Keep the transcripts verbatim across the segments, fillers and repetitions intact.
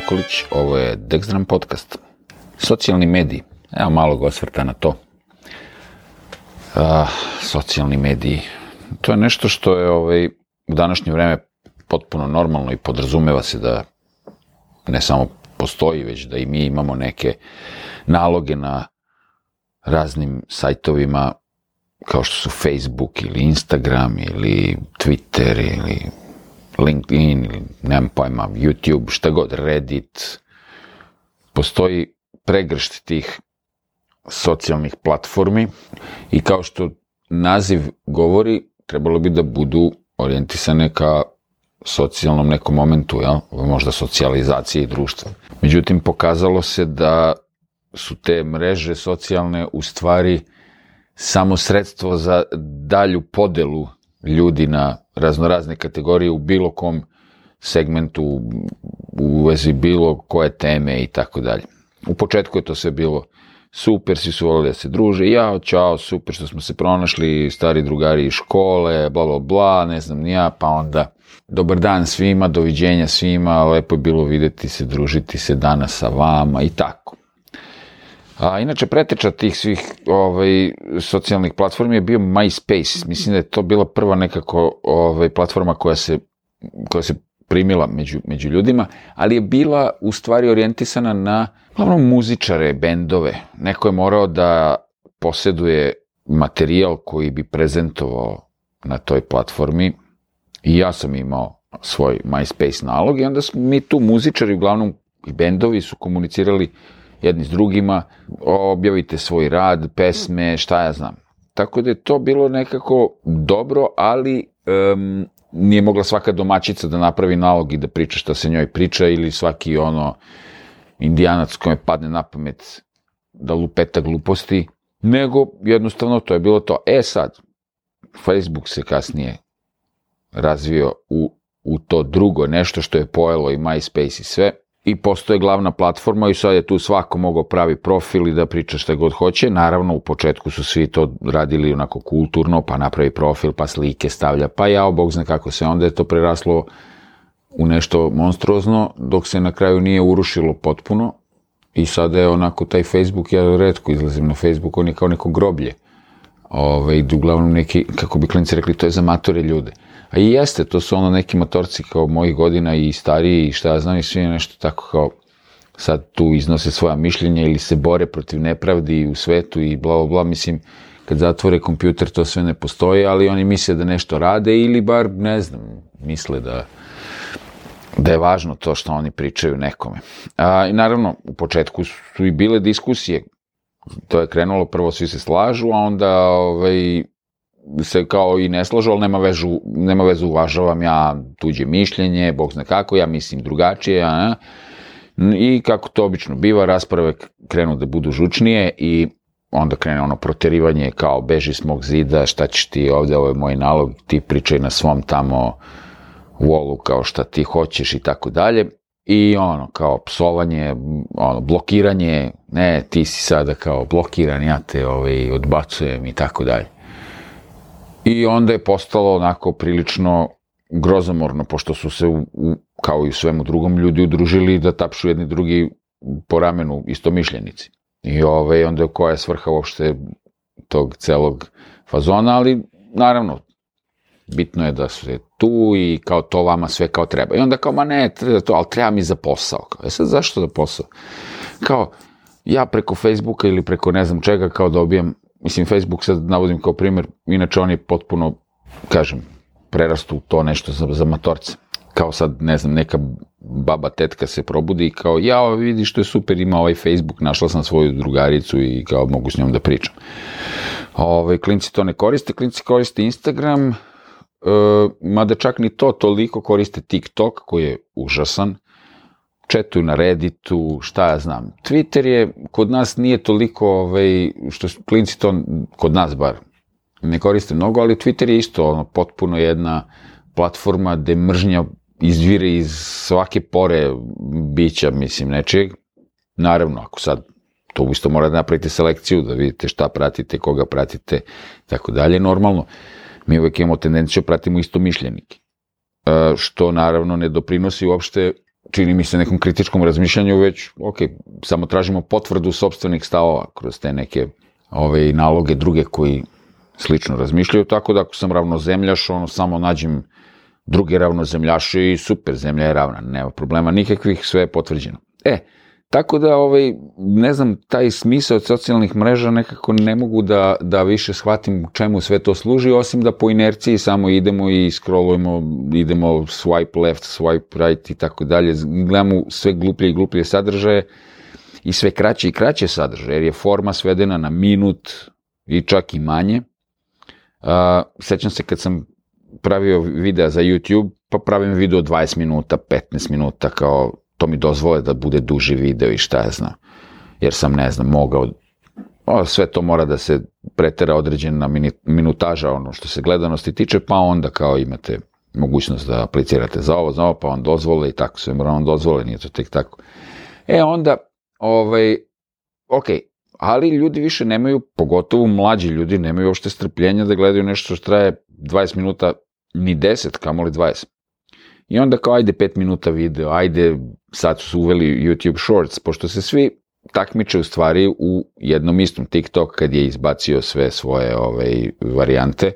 Nikolić, ovo je Dexdram podcast. Socijalni mediji, evo malog osvrta na to. A, socijalni mediji, to je nešto što je ovaj, u današnje vreme potpuno normalno i podrazumeva se da ne samo postoji, već da i mi imamo neke naloge na raznim sajtovima kao što su Facebook ili Instagram ili Twitter ili LinkedIn ili nemam pojma, YouTube, šta god, Reddit. Postoji pregršt tih socijalnih platformi i kao što naziv govori, trebalo bi da budu orijentisane ka socijalnom nekom momentu, jel? Možda socijalizacije društva. Međutim, pokazalo se da su te mreže socijalne u stvari samo sredstvo za dalju podelu ljudi na raznorazne kategorije u bilo kom segmentu, u vezi bilo koje teme i tako dalje. U početku je to sve bilo super, svi su volili da se druže, jao, čao, super što smo se pronašli, stari drugari iz škole, bla, bla, bla, ne znam ni ja, pa onda dobar dan svima, doviđenja svima, lepo je bilo videti se, družiti se danas sa vama i tako. A inače, preteča tih svih ovaj, socijalnih platformi je bio MySpace. Mislim da je to bila prva nekako ovaj, platforma koja se, koja se primila među, među ljudima, ali je bila u stvari orijentisana na glavno muzičare, bendove. Neko je morao da posjeduje materijal koji bi prezentovao na toj platformi i ja sam imao svoj MySpace nalog i onda smo mi tu muzičari, uglavnom i bendovi su komunicirali jedni s drugima, objavite svoj rad, pesme, šta ja znam. Tako da je to bilo nekako dobro, ali um, nije mogla svaka domaćica da napravi nalog i da priča šta se njoj priča ili svaki ono indijanac kome padne na pamet da lupeta gluposti, nego jednostavno to je bilo to. E sad, Facebook se kasnije razvio u, u to drugo, nešto što je pojelo i MySpace i sve, i postoje glavna platforma i sad je tu svako mogao pravi profil i da priča šta god hoće. Naravno, u početku su svi to radili onako kulturno, pa napravi profil, pa slike stavlja, pa jao, bog zna kako se, onda je to preraslo u nešto monstruozno, dok se na kraju nije urušilo potpuno i sada je onako taj Facebook, ja retko izlazim na Facebook, on je kao neko groblje. Ove, uglavnom neki, kako bi klinci rekli, to je za matore ljude. A i jeste, to su ono neki matorci kao mojih godina i stariji i šta ja znam i svi nešto tako kao sad tu iznose svoja mišljenja ili se bore protiv nepravdi u svetu i bla bla bla, mislim, kad zatvore kompjuter to sve ne postoji, ali oni misle da nešto rade ili bar, ne znam, misle da, da je važno to što oni pričaju nekome. A, i naravno, u početku su i bile diskusije, to je krenulo, prvo svi se slažu, a onda ovaj, se kao i ne slažu, ali nema, vežu, nema vezu, uvažavam ja tuđe mišljenje, bog zna kako, ja mislim drugačije, a, i kako to obično biva, rasprave krenu da budu žučnije i onda krene ono proterivanje kao beži s mog zida, šta ćeš ti ovde, ovo je moj nalog, ti pričaj na svom tamo wallu kao šta ti hoćeš i tako dalje. I ono, kao psovanje, ono, blokiranje, ne, ti si sada kao blokiran, ja te ovaj, odbacujem i tako dalje. I onda je postalo onako prilično grozomorno, pošto su se, u, u, kao i u svemu drugom, ljudi udružili da tapšu jedni drugi po ramenu istomišljenici. I ovaj, onda je koja je svrha uopšte tog celog fazona, ali naravno, bitno je da su tu i kao to vama sve kao treba. I onda kao, ma ne, treba to, ali treba mi za posao. Kao, e sad, zašto za posao? Kao, ja preko Facebooka ili preko ne znam čega kao dobijem, mislim, Facebook sad navodim kao primjer, inače on je potpuno, kažem, prerastu u to nešto za, za matorce. Kao sad, ne znam, neka baba, tetka se probudi i kao, ja, vidi što je super, ima ovaj Facebook, našla sam svoju drugaricu i kao mogu s njom da pričam. Ove, klinci to ne koriste, klinci koriste Instagram, Uh, mada čak ni to, toliko koriste TikTok koji je užasan, četuju na Redditu, šta ja znam. Twitter je, kod nas nije toliko, ovaj, što klinci to, kod nas bar, ne koriste mnogo, ali Twitter je isto ono, potpuno jedna platforma gde mržnja izvire iz svake pore bića, mislim, nečeg. Naravno, ako sad to isto morate napraviti selekciju, da vidite šta pratite, koga pratite, tako dalje, normalno. Mi uvek imamo tendenciju pratimo istomišljenike, što naravno ne doprinosi uopšte čini mi se nekom kritičkom razmišljanju, već, ok, samo tražimo potvrdu sopstvenih stavova kroz te neke ove naloge druge koji slično razmišljaju, tako da ako sam ravnozemljaš, ono, samo nađem druge ravnozemljaše i super, zemlja je ravna, nema problema nikakvih, sve je potvrđeno. E, tako da, ovaj, ne znam, taj smisao od socijalnih mreža nekako ne mogu da, da više shvatim čemu sve to služi, osim da po inerciji samo idemo i scrollujemo, idemo swipe left, swipe right i tako dalje, gledamo sve gluplje i gluplje sadržaje i sve kraće i kraće sadržaje, jer je forma svedena na minut i čak i manje. Uh, sećam se kad sam pravio videa za YouTube, pa pravim video dvadeset minuta, petnaest minuta, kao to mi dozvole da bude duži video i šta ja znam, jer sam, ne znam, mogao, o, sve to mora da se pretera određena minutaža, ono što se gledanosti tiče, pa onda kao imate mogućnost da aplicirate za ovo, za ovo, pa on dozvole i tako, sve mora on dozvole, nije to tek tako. E onda, ovaj, ok, ali ljudi više nemaju, pogotovo mlađi ljudi, nemaju uopšte strpljenja da gledaju nešto što traje dvadeset minuta, ni deset, kamoli dvadeset. I onda kao, ajde pet minuta video, ajde, sad su uveli YouTube Shorts, pošto se svi takmiče u stvari u jednom istom. TikTok kad je izbacio sve svoje ovaj, varijante,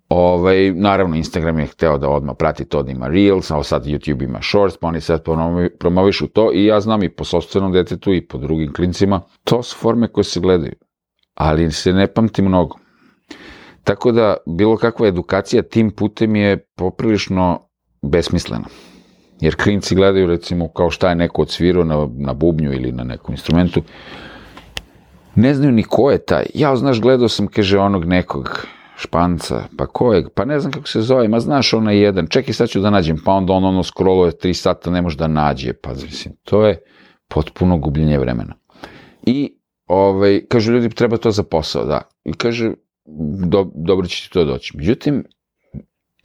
ovaj, naravno Instagram je hteo da odmah prati to da ima Reels, a sad YouTube ima Shorts, pa oni sad promovišu to i ja znam i po sopstvenom detetu i po drugim klincima, to su forme koje se gledaju, ali se ne pamti mnogo. Tako da bilo kakva edukacija tim putem je poprilično besmislena. Jer klinci gledaju, recimo, kao šta je neko odsvirao na, na bubnju ili na nekom instrumentu, ne znaju ni ko je taj. Ja, znaš, gledao sam, kaže, onog nekog Španca, pa ko je, pa ne znam kako se zove, ma znaš onaj jedan, čekaj sad ću da nađem, pa onda on ono scrolluje tri sata, ne može da nađe, pa mislim, to je potpuno gubljenje vremena. I, ovaj, kažu ljudi, treba to za posao, da. I kaže, do, dobro će ti to doći. Međutim,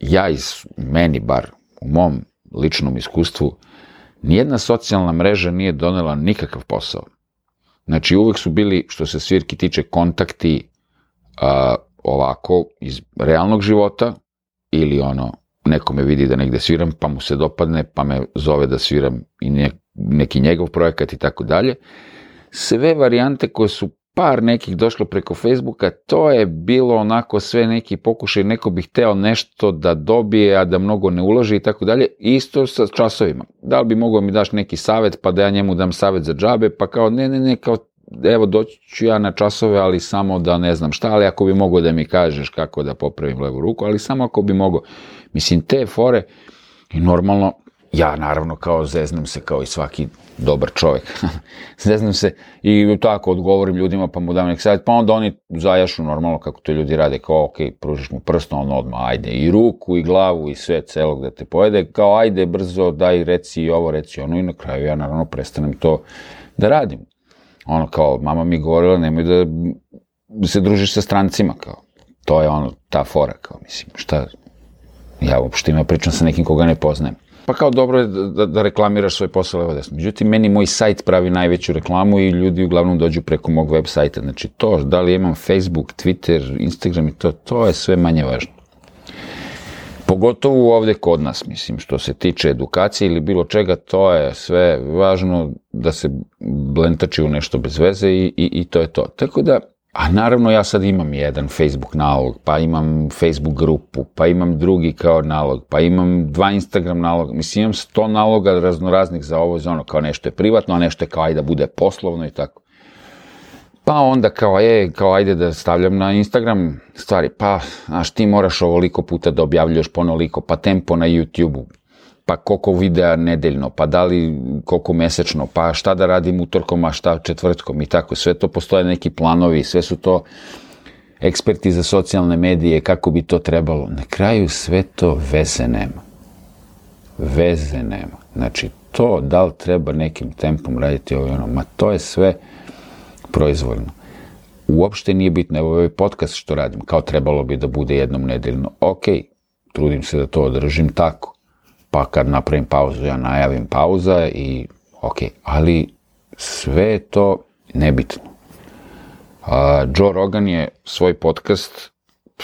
ja iz, meni bar, u mom ličnom iskustvu, nijedna socijalna mreža nije donela nikakav posao. Znači, uvek su bili, što se svirki tiče, kontakti a, ovako, iz realnog života, ili ono, neko me vidi da negde sviram, pa mu se dopadne, pa me zove da sviram i ne, neki njegov projekat i tako dalje. Sve varijante koje su par nekih došlo preko Facebooka, to je bilo onako sve neki pokušaj, neko bi hteo nešto da dobije, a da mnogo ne uloži i tako dalje, isto sa časovima. Da li bi mogao mi daš neki savet, pa da ja njemu dam savet za džabe, pa kao ne, ne, ne, kao evo doći ću ja na časove, ali samo da ne znam šta, ali ako bi mogao da mi kažeš kako da popravim levu ruku, ali samo ako bi mogao. Mislim, te fore, i normalno, ja naravno kao zeznam se kao i svaki dobar čovjek. Zeznam se i tako odgovorim ljudima pa mu dam nek savjet, pa onda oni zajašu normalno kako to ljudi rade, kao ok, pružiš mu prstom, on odmah ajde i ruku i glavu i sve celog da te pojede, kao ajde brzo daj reci i ovo, reci ono i na kraju ja naravno prestanem to da radim. Ono kao mama mi govorila nemoj da se družiš sa strancima, kao to je ono ta fora, kao mislim šta, ja uopšte ima pričam sa nekim koga ne poznajem. Pa kao dobro je da, da reklamiraš svoj posao levo desno. Međutim, meni moj sajt pravi najveću reklamu i ljudi uglavnom dođu preko mog web sajta. Znači to, da li imam Facebook, Twitter, Instagram i to, to je sve manje važno. Pogotovo ovde kod nas, mislim, što se tiče edukacije ili bilo čega, to je sve važno da se blentači u nešto bez veze i, i, i to je to. Tako da, a naravno ja sad imam jedan Facebook nalog, pa imam Facebook grupu, pa imam drugi kao nalog, pa imam dva Instagram naloga, mislim imam sto naloga raznoraznih za ovo, za ono, kao nešto je privatno, a nešto je kao ajde da bude poslovno i tako. Pa onda kao, e, kao ajde da stavljam na Instagram stvari, pa, znaš, ti moraš ovoliko puta da objavljuješ ponoliko, pa tempo na YouTube-u, pa koliko videa nedeljno, pa da li koliko mesečno, pa šta da radim utorkom, a šta četvrtkom i tako. Sve to postoje neki planovi, sve su to eksperti za socijalne medije, kako bi to trebalo. Na kraju sve to veze nema. Veze nema. Znači, to da li treba nekim tempom raditi ovo i ono, ma to je sve proizvoljno. Uopšte nije bitno, evo ovaj podcast što radim, kao trebalo bi da bude jednom nedeljno. Ok, trudim se da to održim tako. Pa kad napravim pauzu, ja najavim pauza i ok, ali sve je to nebitno. A, Joe Rogan je svoj podcast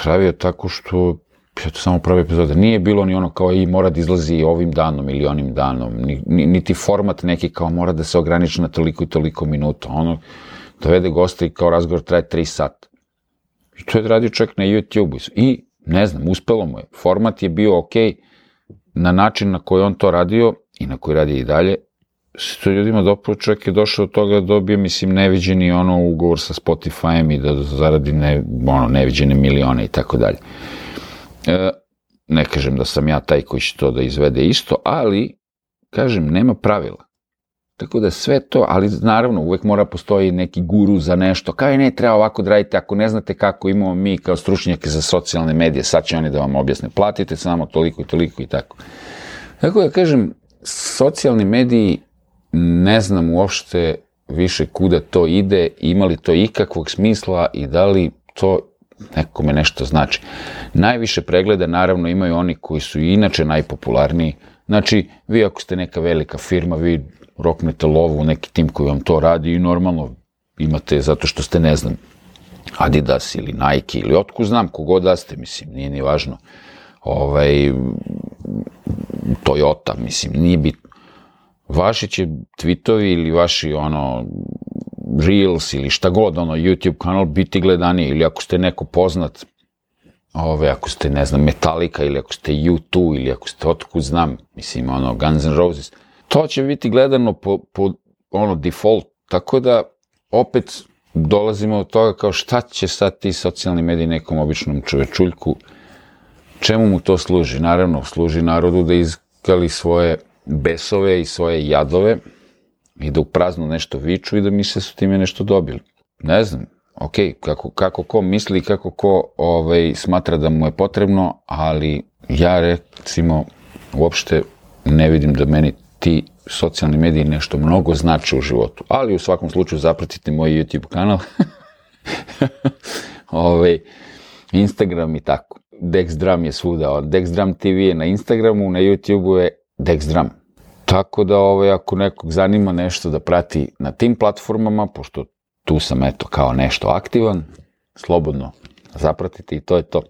pravio tako što eto, samo prve epizode. Nije bilo ni ono kao i mora da izlazi ovim danom ili onim danom, ni, ni, niti format neki kao mora da se ograniči na toliko i toliko minuta. Ono, dovede gosta i kao razgovor traje tri sata. I to je radio čak na YouTube-u. I, ne znam, uspelo mu je. Format je bio okej na način na koji on to radio i na koji radi i dalje. Se to ljudima dopao, čovjek je došao do toga da dobije, mislim, neviđeni ono ugovor sa Spotify-em i da zaradi ne, ono, neviđene milione i tako dalje. E, ne kažem da sam ja taj koji će to da izvede isto, ali, kažem, nema pravila. Tako da sve to, ali naravno, uvek mora postoji neki guru za nešto, kao i ne, treba ovako da radite, ako ne znate kako imamo mi kao stručnjake za socijalne medije, sad će oni da vam objasne, platite samo toliko i toliko i tako. Tako da, kažem, socijalni mediji, ne znam uopšte više kuda to ide, ima li to ikakvog smisla i da li to nekome nešto znači. Najviše pregleda naravno imaju oni koji su i inače najpopularniji. Znači, vi ako ste neka velika firma, vi roknete lovu u neki tim koji vam to radi i normalno imate zato što ste, ne znam, Adidas ili Nike ili otkud znam, kogod da ste, mislim, nije ni važno. Ovaj, Toyota, mislim, nije bitno. Vaši će tweetovi ili vaši, ono, Reels ili šta god, ono, YouTube kanal biti gledaniji, ili ako ste neko poznat, ove, ako ste, ne znam, Metallica, ili ako ste U dva, ili ako ste otkud znam, mislim, ono, Guns N' Roses, to će biti gledano po, po, ono, default, tako da, opet, dolazimo od toga kao šta će sad ti socijalni mediji nekom običnom čovečuljku, čemu mu to služi? Naravno, služi narodu da izgali svoje besove i svoje jadove i da u prazno nešto viču i da misle su time nešto dobili. Ne znam, ok, kako, kako ko misli i kako ko ovaj, smatra da mu je potrebno, ali ja recimo uopšte ne vidim da meni ti socijalni mediji nešto mnogo znače u životu, ali u svakom slučaju zapratite moj YouTube kanal, ovaj, Instagram i tako. Dexdram je svuda, Dexdram T V je na Instagramu, na YouTubeu je Dexdram. Tako da, ovaj, ako nekog zanima nešto da prati na tim platformama, pošto tu sam, eto, kao nešto aktivan, slobodno zapratite i to je to.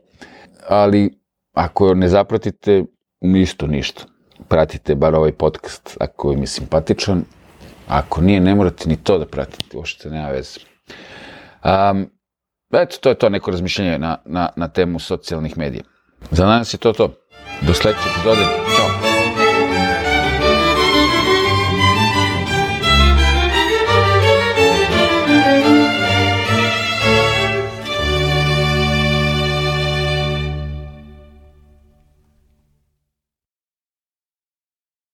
Ali, ako ne zapratite, isto ništa. Pratite bar ovaj podcast ako je mi simpatičan. Ako nije, ne morate ni to da pratite, uopšte nema veze. Um, eto, to je to neko razmišljanje na, na, na temu socijalnih medija. Za danas je to to. Do sledeće epizode. Ćao!